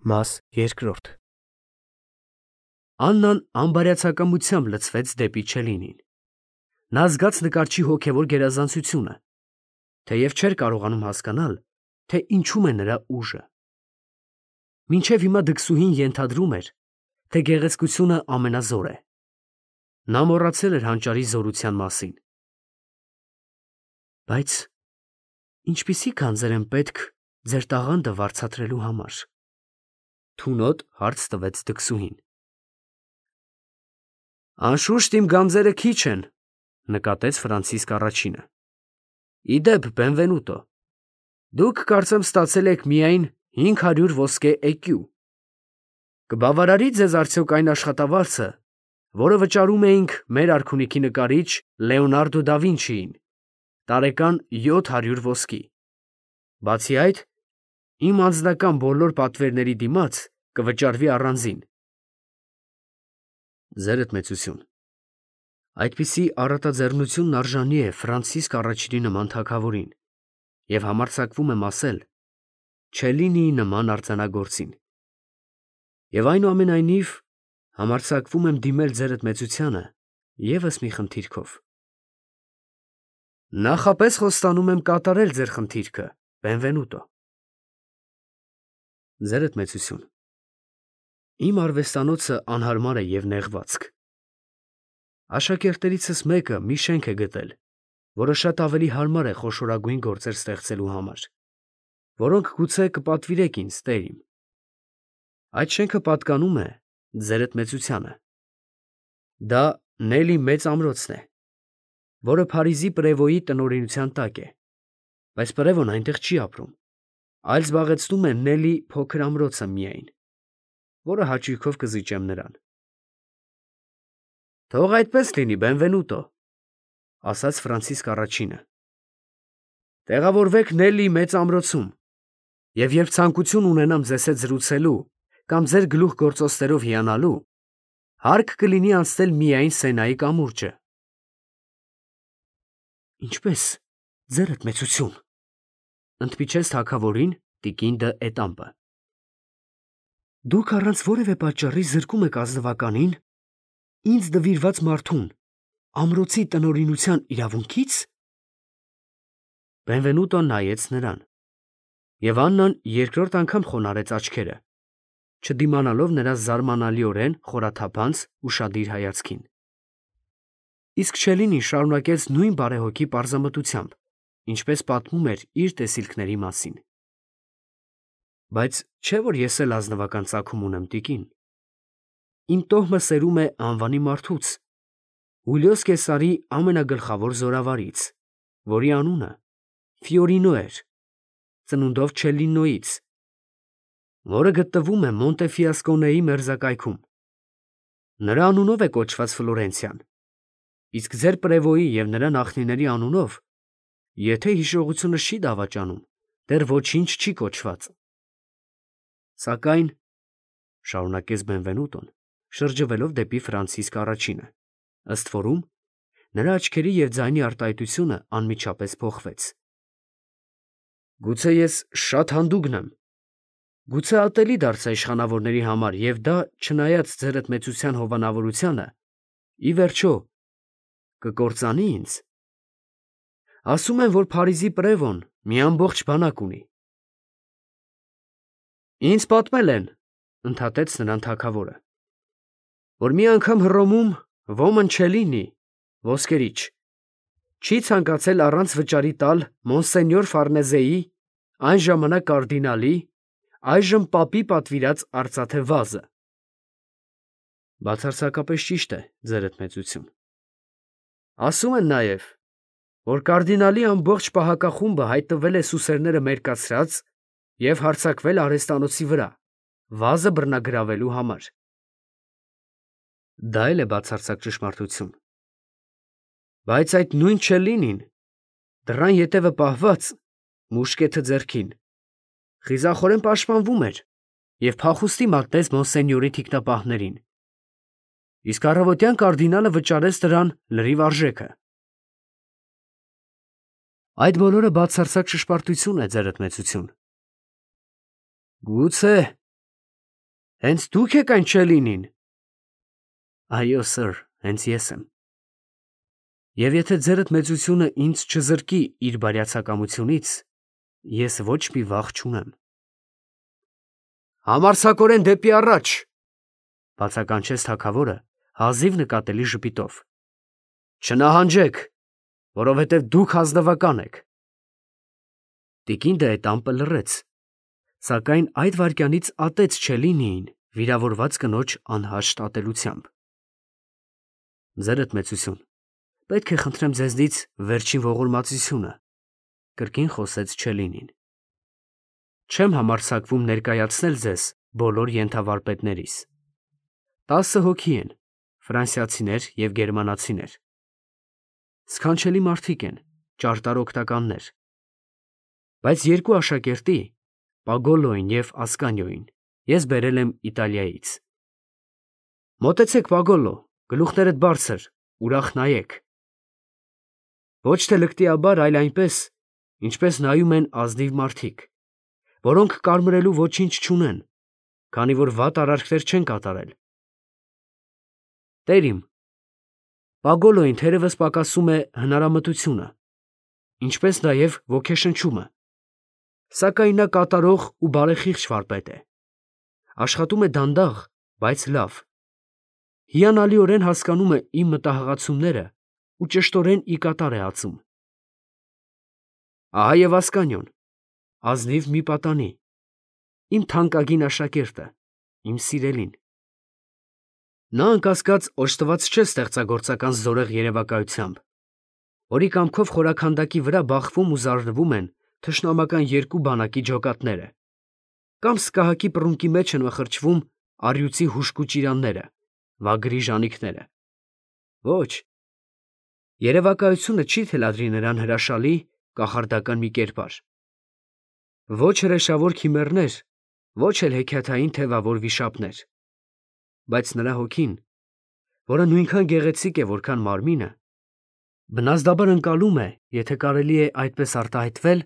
Մաս երկրորդ Աննան անբարյացակամությամբ լցվեց դեպի Չելինին։ Նա զգաց նկարչի հոգևոր գերազանցությունը, թեև չէր կարողանում հասկանալ, թե ինչում է նրա ուժը։ Մինչև հիմա դքսուհին ենթադրում էր, թե գեղեցկությունը ամենազոր է։ Նա մոռացել էր հանճարի զորության մասին։ Բայց ինչպիսի գանձեր են պետք ձեր տաղանդը վարձատրելու համար։ Թունոտ հարց տվեց դքսուհին։ Անշուշտ իմ գանձերը քիչ են, նկատեց Ֆրանցիսկ առաջինը։ Իդեպ, Բենվենուտո, դուք կարծեմ ստացել եք միայն 500 ոսկե էկյու։ Կբավարարի ձեզ արդյոք այն աշխատավարձը, որը վճարում էինք մեր արքունիքի նկարիչ Լեոնարդո դա Վինչիին, տարեկան 700 ոսկի։ Բացի այդ, իմ անձնական բոլոր պատվերների դիմաց կվճարվի առանձին։ Ձերդ մեծություն, այդպիսի առատաձեռնությունն արժանի է Ֆրանցիսկ առաջինի նման թագավորին և համարձակվում եմ ասել Չելինիի նման արձանագործին։ Եվ այնուամենայնիվ համարձակվում եմ դիմել ձերդ մեծությանը ևս մի խնդիրքով։ Նախապես խոստանում եմ կատարել ձեր խնդիրքը, Բենվենուտո։ Ձերդ մեծություն, իմ արվեստանոցը անհարմար է և նեղվածք։ Աշակերտերիցս մեկը մի շենք է գտել, որը շատ ավելի հարմար է խոշորագույն գործեր ստեղծելու համար, որոնք գուցե կպատվիրեք ինձ, տեր իմ։ Այդ շենքը պատկանում է ձերդ մեծությանը։ Դա Նելի մեծ ամրոցն է, որը Փարիզի Պրևոյի տնօրինության տակ է, բայց Պրևոն այնտեղ չի ապրում, այլ զբաղեցնում է Նելի փոքր ամրոցը միայն, որը հաճույքով կզիջեմ նրան։ Թող այդպես լինի, Բենվենուտո, ասաց Ֆրանցիսկ առաջինը։ Տեղավորվեք Նելի մեծ ամրոցում, և երբ ցանկություն ունենամ ձեզ հետ զրուցելու կամ ձեր գլուխգործոցներով հիանալու, հարկ կլինի անցնել միայն Սենայի կամուրջը։ Ինչպես, ձերդ մեծություն, ընդմիջեց թագավորին տիկին դը Էտամպը։ Դուք առանց որևէ պատճառի զրկում եք ազնվականին, ինձ նվիրված մարդուն, ամրոցի տնօրինության իրավունքից։ Բենվենուտոն նայեց նրան, և Աննան երկրորդ անգամ խոնարհեց աչքերը, չդիմանալով նրա զարմանալիորեն խորաթափանց ուշադիր հայացքին։ Իսկ Չելինին շարունակեց նույն բարեհոգի պարզամտությամբ, ինչպես պատմում էր իր տեսիլքների մասին։ Բայց չէ՞ որ ես էլ ազնվական ծագում ունեմ, տիկին։ Իմ տոհմը սերում է անվանի մարդուց, Հուլիոս Կեսարի ամենագլխավոր զորավարից, որի անունը Ֆիորինո էր, ծնունդով Չելլինոից, որը գտնվում է Մոնտեֆիասկոնեի մերձակայքում։ Նրա անունով է կոչված Ֆլորենցիան, իսկ ձեր Պրևոյի և նրա նախնիների անունով, եթե հիշողությունս չի դավաճանում, դեռ ոչինչ չի կոչված։ Սակայն, շարունակեց Բենվենուտոն, շրջվելով դեպի Ֆրանցիսկ առաջինը, ըստ որում, նրա աչքերի և ձայնի արտահայտությունը անմիջապես փոխվեց։ Գուցե ես շատ հանդուգն եմ, գուցե ատելի դարձա իշխանավորների համար, և դա, չնայած ձերդ մեծության հովանավորությանը, ի վերջո, կկործանի ինձ։ Ասում են, որ Փարիզի Պրևոն մի ամբողջ բանակ ունի։ Ինձ պատմել են, ընդհատեց նրան թագավորը, որ մի անգամ Հռոմում ոմն Չելինի, ոսկերիչ, չի ցանկացել առանց վճարի տալ Մոնսենյոր Ֆարնեզեի, այն ժամանակ կարդինալի, այժմ պապի պատվիրած արծաթե վազը։ Բացարձակապես ճիշտ է, ձերդ մեծություն։ Ասում են նաև, որ կարդինալի ամբողջ պահակախումբը հայտնվել է սուսերները մերկացրած և հարձակվել արհեստանոցի վրա, վազը բռնագրավելու համար։ Դա էլ է բացարձակ ճշմարտություն։ Բայց այդ նույն Չելլինին, դռան ետևը պահված, մուշկետը ձեռքին, խիզախորեն պաշտպանվում էր և փախուստի մատնեց Մոնսենյորի թիկնապահներին, իսկ առավոտյան կարդինալը վճարեց դրան լրիվ արժեքը։ Այդ բոլորը բացարձակ ճշմարտություն է, ձերդ մեծություն։ Գուցե, Հենց դուք եք այն Չելինին։ Այո, սըր, հենց ես եմ։ Եվ եթե ձերդ մեծությունը ինձ չզրկի իր բարյացակամությունից, ես ոչ մի վախ չունեմ։ Համարձակորեն դեպի առաջ, բացականչեց թագավորը հազիվ նկատելի ժպիտով։ Չնահանջեք, որովհետև դուք ազնվական եք։ Տիկին Դեետամպը լռեց, սակայն այդ վայրկյանից ատեց Չելինիին վիրավորված կնոջ անհաշտ ատելությամբ։ Ձերդ մեծություն, պետք է խնդրեմ ձեզնից վերջին ողորմածությունը, կրկին խոսեց Չելինին։ Չեմ համարձակվում ներկայացնել ձեզ բոլոր ենթավարպետներիս։ 10 հոգի են, ֆրանսիացիներ և գերմանացիներ։ Սքանչելի մարդիկ են, ճարտար օգնականներ։ Բայց երկու աշակերտի, Պագոլոյին և Ասկանիոյին, ես բերել եմ Իտալիայից։ Մոտեցեք, Պագոլո, գլուխներդ բարձր, ուրախ նայեք։ Ոչ թե լկտիաբար, այլ այնպես, ինչպես նայում են ազնիվ մարդիկ, որոնք կարմրելու ոչինչ չունեն, քանի որ վատ արարքներ չեն կատարել։ Տեր իմ, Պագոլոյին թերևս պակասում է հնարամտությունը, ինչպես նաև ոգեշնչումը, սակայն նա կատարող ու բարեխիղճ վարպետ է։ Աշխատում է դանդաղ, բայց լավ։ Հիանալիորեն հասկանում է իմ մտահղացումները ու ճշտորեն ի կատար է ածում։ Ահա և Ասկանիոն, ազնիվ մի պատանի, իմ թանկագին աշակերտը, իմ սիրելին։ Նա անկասկած օժտված չէ ստեղծագործական զորեղ երևակայությամբ, որի կամքով խորաքանդակի վրա բախվում ու զարնվում են թշնամական երկու բանակի ջոկատները, կամ սկահակի պռունկի մեջ են մխրճվում առյուծի հուժկու ճիրանները, վագրի ժանիքները։ Ոչ, երևակայությունը չի թելադրի նրան հրաշալի, կախարդական մի կերպար։ Ոչ հրեշավոր քիմեռներ, ոչ էլ հեքիաթային թևավոր վիշապներ։ Բայց նրա հոգին, որը նույնքան գեղեցիկ է, որքան մարմինը, բնազդաբար ընկալում է, եթե կարելի է այդպես արտահայտվել,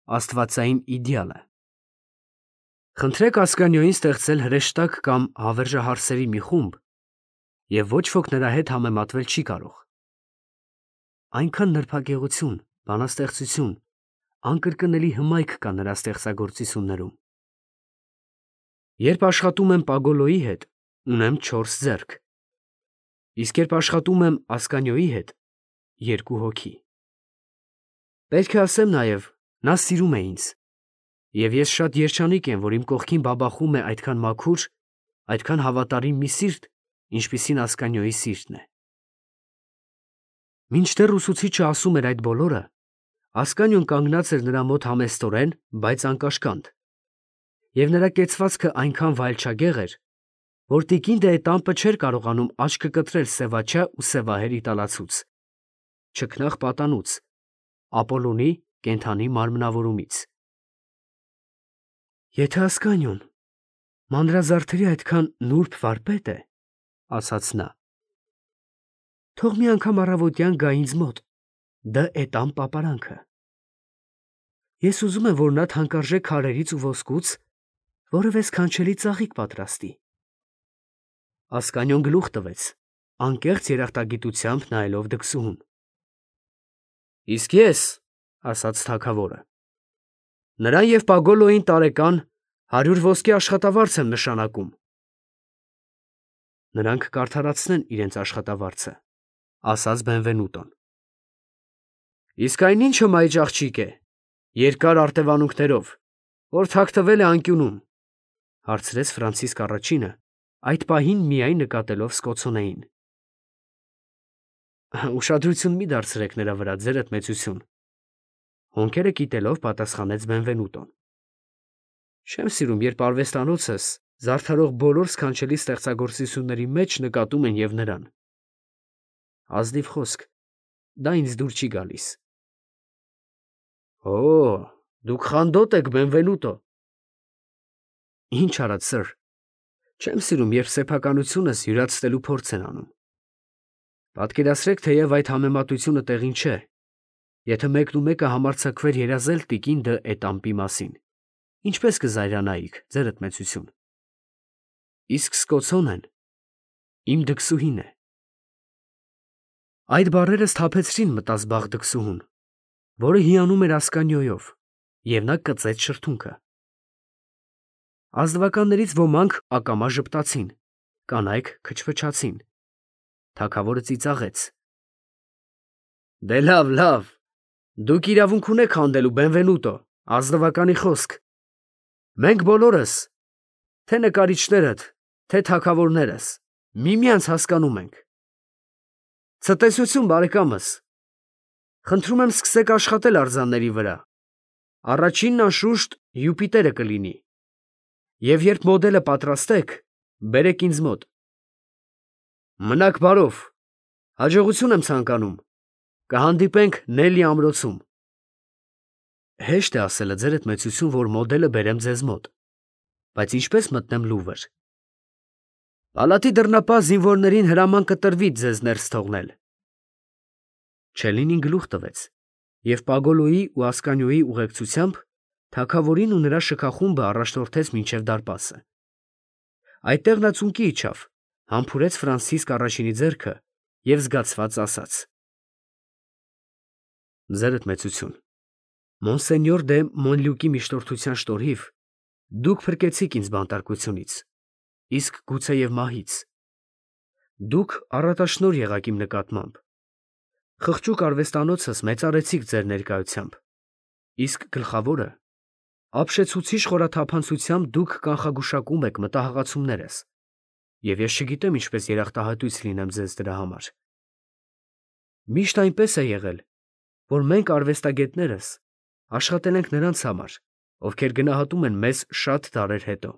աստվածային իդեալը։ Խնդրեք Ասկանիոյին ստեղծել հրեշտակ կամ հավերժահարսերի մի խումբ, և ոչ ոք նրա հետ համեմատվել չի կարող։ Այնքան նրբագեղություն, բանաստեղծություն, անկրկնելի հմայք կա նրա ստեղծագործություններում։ Երբ աշխատում եմ Պագոլոյի հետ, ունեմ 4 ձեռք, իսկ երբ աշխատում եմ Ասկանիոյի հետ, 2 հոգի։ Պետք է ասեմ նաև, նա սիրում է ինձ, և ես շատ երջանիկ եմ, որ իմ կողքին բաբախում է այդքան մաքուր, այդքան հավատարիմ մի սիրտ, ինչպիսին Ասկանիոյի սիրտն է։ Մինչդեռ ուսուցիչը ասում էր այդ բոլորը, Ասկանիոն կանգնած էր նրա մոտ համեստորեն, բայց անկաշկանդ, և նրա կեցվածքը այնքան վայելչագեղ էր, որ տիկին Դեետամպը չէր կարողանում աչքը կտրել սևաչյա ու սևահեր իտալացուց, չքնաղ պատանուց, Ապոլոնի կենդանի մարմնավորումից։ Եթե Ասկանիոն մանրազարդերի այդքան նուրբ վարպետ է, ասաց նա, թող մի անգամ առավոտյան գա ինձ մոտ, Դեետամ պապարանքը։ Ես ուզում եմ, որ նա թանկարժեք քարերից ու ոսկուց որևէ սքանչելի ծաղիկ պատրաստի։ Ասկանիոն գլուխ տվեց, անկեղծ երախտագիտությամբ նայելով դքսուհուն։ Իսկ ես, ասաց թագավորը, նրան և Պագոլոյին տարեկան 100 ոսկե աշխատավարձ եմ նշանակում։ Նրանք կարդարացնեն իրենց աշխատավարձը, ասաց Բենվենուտոն։ Իսկ այն ի՞նչ հմայիչ աղջիկ է, երկար արտևանունքներով, որ թաքնվել է անկյունում, հարցրեց Ֆրանցիսկ առաջինը, այդ պահին միայն նկատելով Սկոցոնեին։ Ուշադրություն մի դարձրեք նրա վրա, ձերդ մեծություն, հոնքերը կիտելով պատասխանեց Բենվենուտոն։ Չեմ սիրում, երբ արվեստանոցս զարդարող բոլոր սքանչելի ստեղծագործությունների մեջ նկատում են և նրան։ Ազնիվ խոսք, դա ինձ դուր չի գալիս։ Օ, դուք խանդոտ եք, Բենվենուտո։ Ինչ արած, սըր, չեմ սիրում, երբ սեփականությունս յուրացնելու փորձ են անում։ Պատկերացրեք, թեև այդ համեմատությունը տեղին չէ, եթե մեկնումեկը համարձակվեր երազել տիկին Դ'Ետամպի մասին, ինչպես կզայրանայիք, ձերդ մեծություն։ իսկ սկոցոնեն իմ դքսուհին է։ Այդ բառերը սթափեցրին մտազբաղ դքսուհուն, որը հիանում էր Ասկանիոյով, և նա կծեց շրթունքը։ Ազնվականներից ոմանք ակամա ժպտացին, կանայք քչփչացին։ Թագավորը ծիծաղեց. «Դե լավ, լավ, դուք իրավունք ունեք խանդելու, Բենվենուտո, ազնվականի խոսք։ Մենք բոլորս, թե նկարիչներդ, թե թագավորներս, միմյանց հասկանում ենք։ Ցտեսություն, բարեկամս, խնդրում եմ սկսեք աշխատել արձանների վրա։ Առաջինն անշուշտ Յուպիտերը կլինի, և երբ մոդելը պատրաստեք, բերեք ինձ մոտ։ Մնաք բարով, հաջողություն եմ ցանկանում, կհանդիպենք Նելի ամրոցում։ Հեշտ է ասելը, ձերդ մեծություն, որ մոդելը բերեմ ձեզ մոտ, բայց ինչպես մտնեմ Լուվր։ Պալատի դռնապահ զինվորներին հրաման կտրվի ձեզ ներս թողնել։ Չելինին գլուխ տվեց, և Պագոլոյի ու Ասկանիոյի ուղեկցությամբ թագավորին ու նրա շքախումբը առաջնորդեց մինչև դարպասը։ Այդտեղ նա ծունկի իջավ, համբուրեց Ֆրանցիսկ առաջինի ձեռքը և զգացված ասաց. Ձերդ մեծություն, Մոնսենյոր դե Մոնլյուկի միջնորդության շնորհիվ դուք փրկեցիք ինձ բանտարկությունից, իսկ գուցեև մահից։ Դուք առատաշնորհ եղաք իմ նկատմամբ։ Խղճուկ արվեստանոցս մեծարեցիք ձեր ներկայությամբ, իսկ գլխավորը, ապշեցուցիչ խորաթափանցությամբ դուք կանխագուշակում եք մտահղացումներս, և ես չգիտեմ ինչպես երախտահայտույց լինեմ ձեզ դրա համար։ Միշտ այնպես է եղել, որ մենք արվեստագետներս աշխատել ենք նրանց համար, ովքեր գնահատում են մեզ շատ դարեր հետո։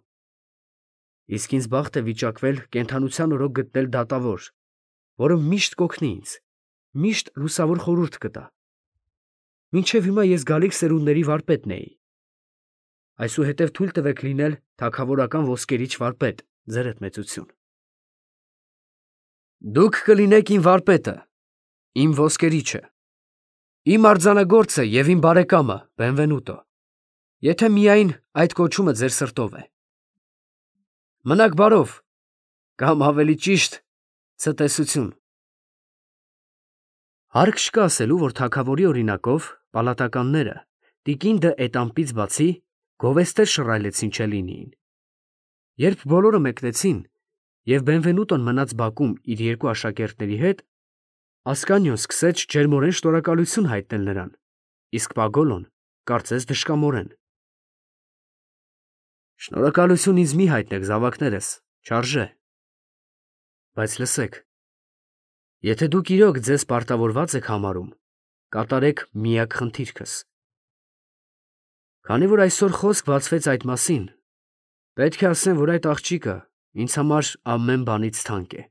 Իսկ ինձ բախտ է վիճակվել կենդանության օրոք գտնել դատավոր, որը միշտ կօգնի ինձ, միշտ լուսավոր խորհուրդ կտա։ Մինչև հիմա ես գալիք սերունդների վարպետն էի։ Այսուհետև թույլ տվեք լինել թագավորական ոսկերիչ վարպետ, ձերդ մեծություն։ Դուք կլինեք իմ վարպետը, իմ ոսկերիչը, իմ արձանագործը և իմ բարեկամը, Բենվենուտո, եթե միայն այդ կոչումը ձեր սրտով է։ Մնաք բարով, կամ ավելի ճիշտ, ցտեսություն։ Հարկ չկա ասելու, որ թագավորի օրինակով պալատականները տիկին դը Էտամպից բացի գովեստեր շռայլեցին Չելինիին։ Երբ բոլորը մեկնեցին, և Բենվենուտոն մնաց բակում իր երկու աշակերտների հետ, Ասկանիոն սկսեց ջերմորեն շնորհակալություն հայտնել նրան, իսկ Պագոլոն կարծես դժկամորեն։ Շնորհակալություն ինձ մի հայտնեք, զավակներս, չարժե։ Բայց լսեք, եթե դուք իրոք ձեզ պարտավորված եք համարում, կատարեք միակ խնդիրքս։ Քանի որ այսօր խոսք բացվեց այդ մասին, պետք է ասեմ, որ այդ աղջիկը ինձ համար ամեն բանից թանկ է։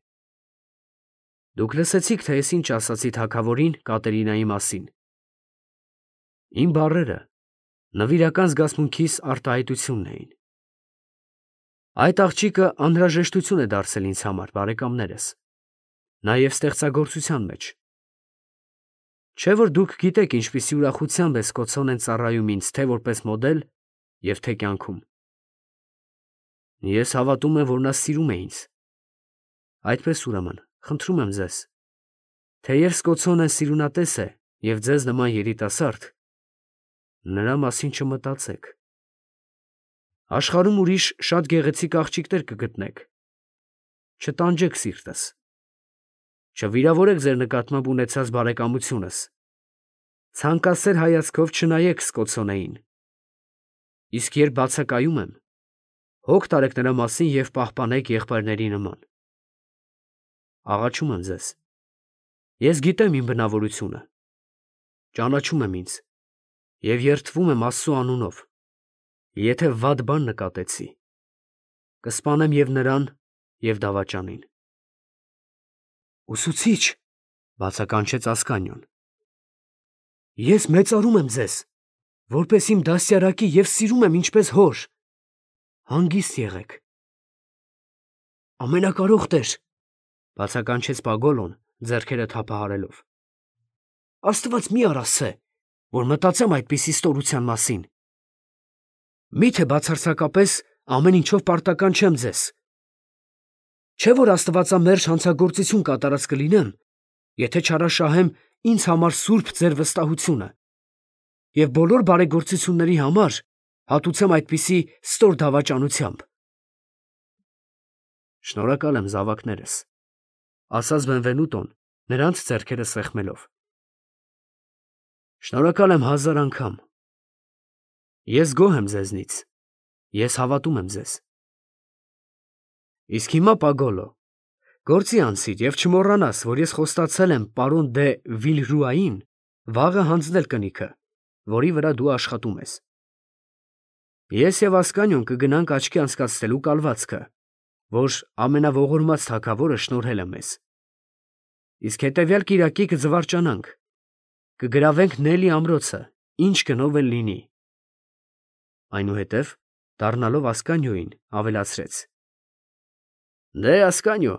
Դուք լսեցիք, թե ես ինչ ասացի թագավորին Կատերինայի մասին։ Իմ բառերը նվիրական զգացմունքիս արտահայտությունն էին։ Այդ աղջիկը անհրաժեշտություն է դարձել ինձ համար, բարեկամներս, նաև ստեղծագործության մեջ։ Չէ՞ որ դուք գիտեք ինչպիսի ուրախությամբ է Սկոցոնեն ծառայում ինձ թե որպես մոդել և թե կյանքում։ Ես հավատում եմ, որ նա սիրում է ինձ։ Այդպես ուրեմն, խնդրում եմ ձեզ, թեև Սկոցոնեն սիրունատես է և ձեզ նման երիտասարդ, նրա մասին չմտածեք։ Աշխարհում ուրիշ շատ գեղեցիկ աղջիկներ կգտնեք։ Չտանջեք սիրտս։ Չվիրավորեք ձեր նկատմամբ ունեցած բարեկամությունս։ Ցանկասեր հայացքով չնայեք Սկոցոնեին։ Իսկ երբ բացակայում եմ, հոգ տարեք նրա մասին և պահպանեք եղբայրների նման։ Աղաչում եմ ձեզ։ Ես գիտեմ իմ բնավորությունը, ճանաչում եմ ինձ և երդվում եմ Աստծու անունով, եթե վատ բան նկատեցի, կսպանեմ և նրան, և դավաճանին։ Ուսուցիչ, բացականչեց Ասկանիոն, ես մեծարում եմ ձեզ, որպես իմ դաստիարակի և սիրում եմ ինչպես հոր, հանգիստ եղեք։ Ամենակարող Տեր, բացականչեց Պագոլոն, ձեռքերը թափահարելով, Աստված մի արասցե, որ մտածեմ այդպիսի ստորության մասին։ Միթե բացարձակապես ամեն ինչով պարտական չեմ ձեզ, Չէ՞ որ աստվածամերժ հանցագործություն կատարած կլինեմ, եթե չարաշահեմ ինձ համար սուրբ ձեր վստահությունը, և բոլոր բարեգործությունների համար հատուցեմ այդպիսի ստոր դավաճանությամբ։ Շնորհակալ եմ, զավակներս, ասաց Բենվենուտոն, նրանց ձեռքերը սեղմելով։ Շնորհակալ եմ 1000 անգամ։ Ես գոհ եմ ձեզնից, ես հավատում եմ ձեզ։ Իսկ հիմա, Պագոլո, գործի անցիր և չմոռանաս, որ ես խոստացել եմ պարոն դե Վիլրուային վաղը հանձնել կնիքը, որի վրա դու աշխատում ես։ Ես և Ասկանիոն կգնանք աչքի անցկացնելու կալվածքը, որ ամենաողորմած թագավորը շնորհել է մեզ։ Իսկ հետևյալ կիրակի կձվարջանանք, կգրավենք Նելի ամրոցը, ինչ գնով էլ լինի։ Այնուհետև, դառնալով Ասկանիոյին, ավելացրեց. Դե, Ասկանիո,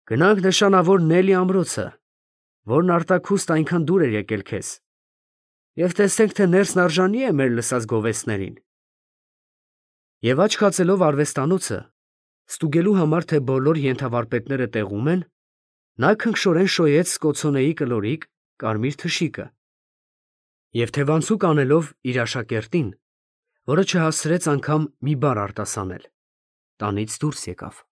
գնանք նշանավոր Նելի ամրոցը, որն արտաքուստ այնքան դուր էր եկել քեզ, և տեսնենք, թե ներսն արժանի է մեր լսած գովեստներին։ Եվ աչք հացելով արվեստանոցը, ստուգելու համար, թե բոլոր ենթավարպետները տեղում են, նա քնքշորեն շոյեց կոցոնեի կլորիկ կարմիր թշիկը և թևանցուկ անելով իր աշակերտին, որը չհասցրեց անգամ մի բառ արտասանել, տանից դուրս եկավ։